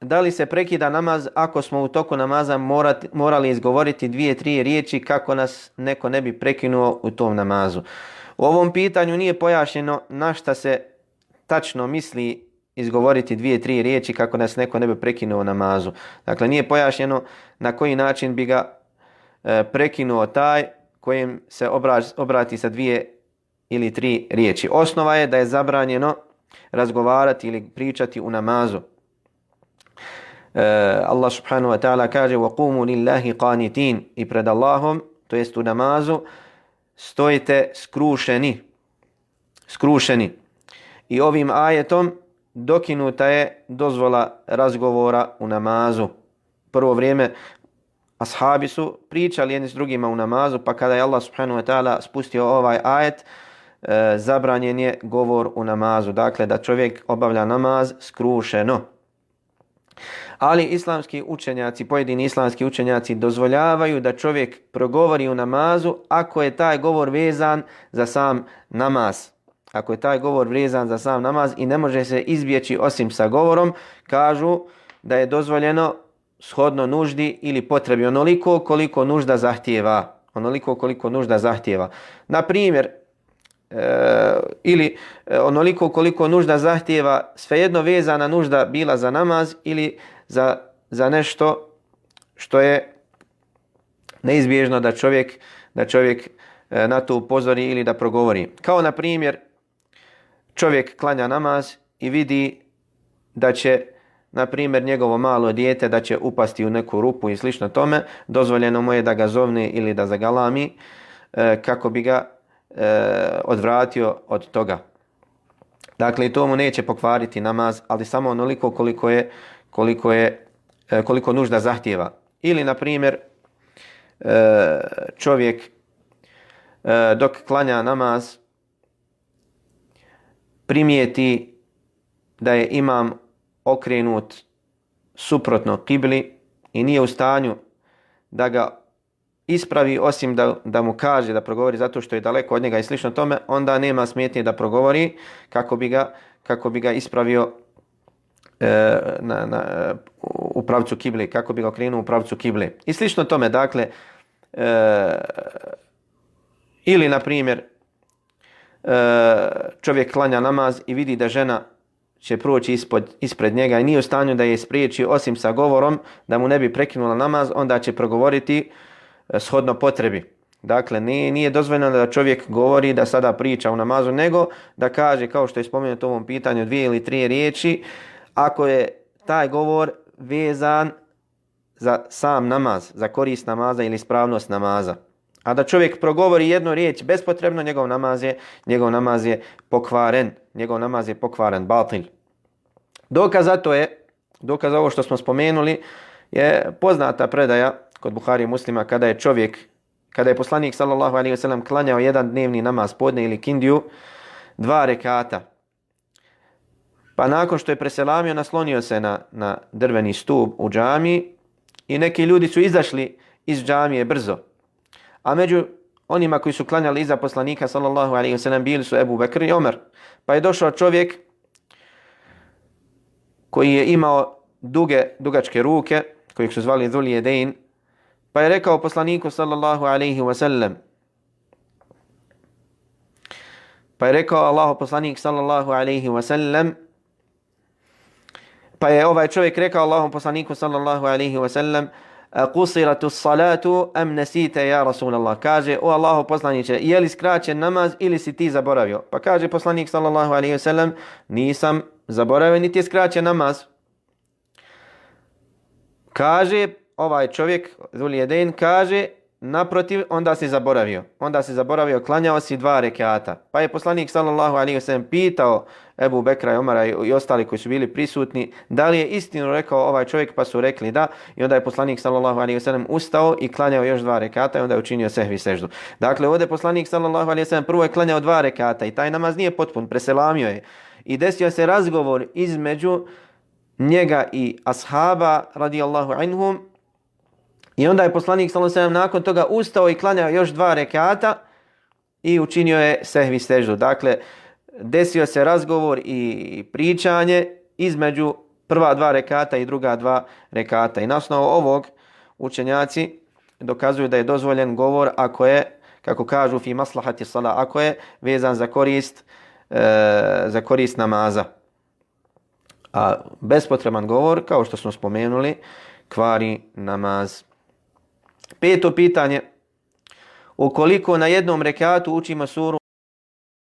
Da li se prekida namaz ako smo u toku namaza morali izgovoriti 2-3 riječi kako nas neko ne bi prekinuo u tom namazu? U ovom pitanju nije pojašnjeno na šta se tačno misli izgovoriti 2-3 riječi kako nas neko ne bi prekinuo u namazu. Dakle, nije pojašnjeno na koji način bi ga prekinuo taj kojem se obrati sa 2 ili 3 riječi. Osnova je da je zabranjeno razgovarati ili pričati u namazu. Allah subhanahu wa ta'ala kaže وَقُومُوا لِلَّهِ قَانِتِينَ i pred Allahom, to jest u namazu, stojite skrušeni. I ovim ajetom dokinuta je dozvola razgovora u namazu. Prvo vrijeme ashabi su pričali jedni s drugima u namazu, pa kada je Allah subhanahu wa ta'ala spustio ovaj ajet, zabranjen je govor u namazu. Dakle, da čovjek obavlja namaz skrušeno. Ali islamski učenjaci, pojedini islamski učenjaci dozvoljavaju da čovjek progovori u namazu ako je taj govor vezan za sam namaz. Ako je taj govor vezan za sam namaz i ne može se izbjeći osim sa govorom, kažu da je dozvoljeno shodno nuždi ili potrebi onoliko koliko nužda zahtijeva. Na primjer, ili onoliko koliko nužda zahtijeva, svejedno vezana nužda bila za namaz ili za nešto što je neizbježno da čovjek na to upozori ili da progovori. Kao na primjer, čovjek klanja namaz i vidi da će, na primjer, njegovo malo dijete da će upasti u neku rupu i slično tome, dozvoljeno mu je da ga zovne ili da zagalami kako bi ga odvratio od toga. Dakle, to mu neće pokvariti namaz, ali samo onoliko koliko nužda zahtijeva. Ili, na primjer, čovjek dok klanja namaz primijeti da je imam okrenut suprotno kibli i nije u stanju da ga ispravi osim da mu kaže da progovori zato što je daleko od njega i slično tome, onda nema smetnje da progovori kako bi ga ispravio u pravcu kibli, kako bi ga okrenuo u pravcu kibli. I slično tome, dakle, ili na primjer čovjek klanja namaz i vidi da žena će proći ispred njega i nije u stanju da je spriječi osim sa govorom da mu ne bi prekinula namaz, onda će progovoriti shodno potrebi. Dakle, nije dozvoljeno da čovjek govori da sada priča u namazu, nego da kaže, kao što je spomenuto u ovom pitanju, 2 ili 3 riječi, ako je taj govor vezan za sam namaz, za korist namaza ili ispravnost namaza. A da čovjek progovori jednu riječ bespotrebno, njegov namaz je pokvaren, batil. Dokaz za ovo što smo spomenuli je poznata predaja kod Buhari i Muslima kada je poslanik sallallahu alejhi ve sellem klanjao jedan dnevni namaz podne ili kindiju 2 rekata. Pa nakon što je preselamio, naslonio se na drveni stup u džamiji i neki ljudi su izašli iz džamije brzo. A među onima koji su klanjali iza poslanika sallallahu alejhi ve sellem bili su Ebu Bekr i Omer. Pa je došao čovjek koji je imao dugačke ruke, kojeg su zvali Dhul Jedain, pa je rekao poslaniku sallallahu alejhi ve sellem, pa je rekao Allahu poslanik sallallahu alejhi ve sellem, pa je ovaj čovjek rekao Allahom poslaniku sallallahu alejhi ve sellem, qusiratu salatu am nasita ya Rasulallah. Kaže, o Allahu poslaniče, je li skraćen namaz ili si ti zaboravio? Pa kaže poslanik sallallahu alejhi ve sellem, nisam zaboravio niti je skraćen namaz. Kaže ovaj čovjek, Dhul Jedain, kaže, naprotiv, onda si zaboravio, klanjao si 2 rekata. Pa je poslanik sallallahu alejhi ve sellem pitao Ebu Bekra i Omara i ostali koji su bili prisutni da li je istinu rekao ovaj čovjek, pa su rekli da. I onda je poslanik sallallahu alejhi ve sellem ustao i klanjao još 2 rekata i onda je učinio sehvi seždu. Dakle, ovdje poslanik sallallahu alejhi ve sellem prvo je klanjao 2 rekata i taj namaz nije potpun, preselamio je. I desio se razgovor između njega i ashaba radijallahu anhum. I onda je poslanik sallallahu alejhi ve sellem nakon toga ustao i klanjao još 2 rekata i učinio je sehvi seždu. Dakle, desio se razgovor i pričanje između prva 2 rekata i druga 2 rekata. I na osnovu ovog učenjaci dokazuju da je dozvoljen govor ako je, kako kažu, fi maslahati sala, ako je vezan za korist namaza. A bespotreban govor, kao što smo spomenuli, kvari namaz. 5. pitanje. Ukoliko na jednom rekatu učimo suru